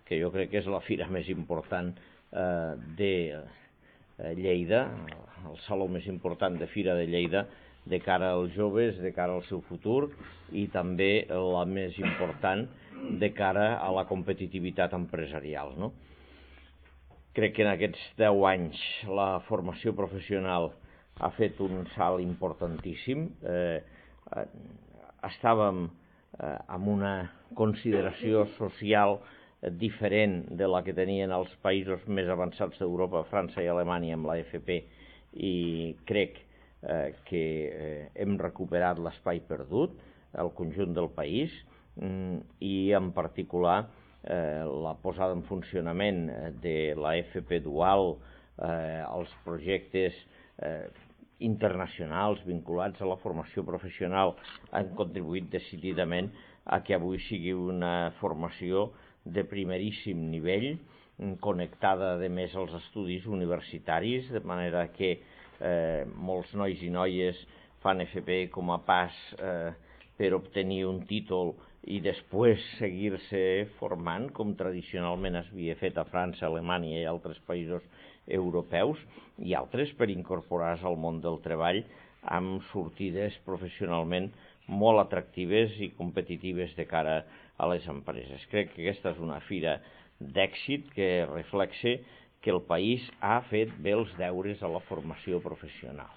que jo crec que és la fira més important de Lleida, el saló més important de Fira de Lleida, de cara als joves, de cara al seu futur, i també la més important de cara a la competitivitat empresarial, no? Crec que en aquests 10 anys la formació professional ha fet un salt importantíssim. Estàvem amb una consideració social diferent de la que tenien els països més avançats d'Europa, França i Alemanya, amb la FP, i crec que hem recuperat l'espai perdut, el conjunt del país, i en particular la posada en funcionament de la FP dual, els projectes internacionals vinculats a la formació professional han contribuït decididament a que avui sigui una formació de primeríssim nivell, connectada a més als estudis universitaris, de manera que molts nois i noies fan FP com a pas per obtenir un títol i després seguir-se formant, com tradicionalment s'havia fet a França, Alemanya i altres països europeus, i altres per incorporar-se al món del treball amb sortides professionalment molt atractives i competitives de cara a les empreses. Crec que aquesta és una fira d'èxit que reflexa que el país ha fet bé els deures a la formació professional.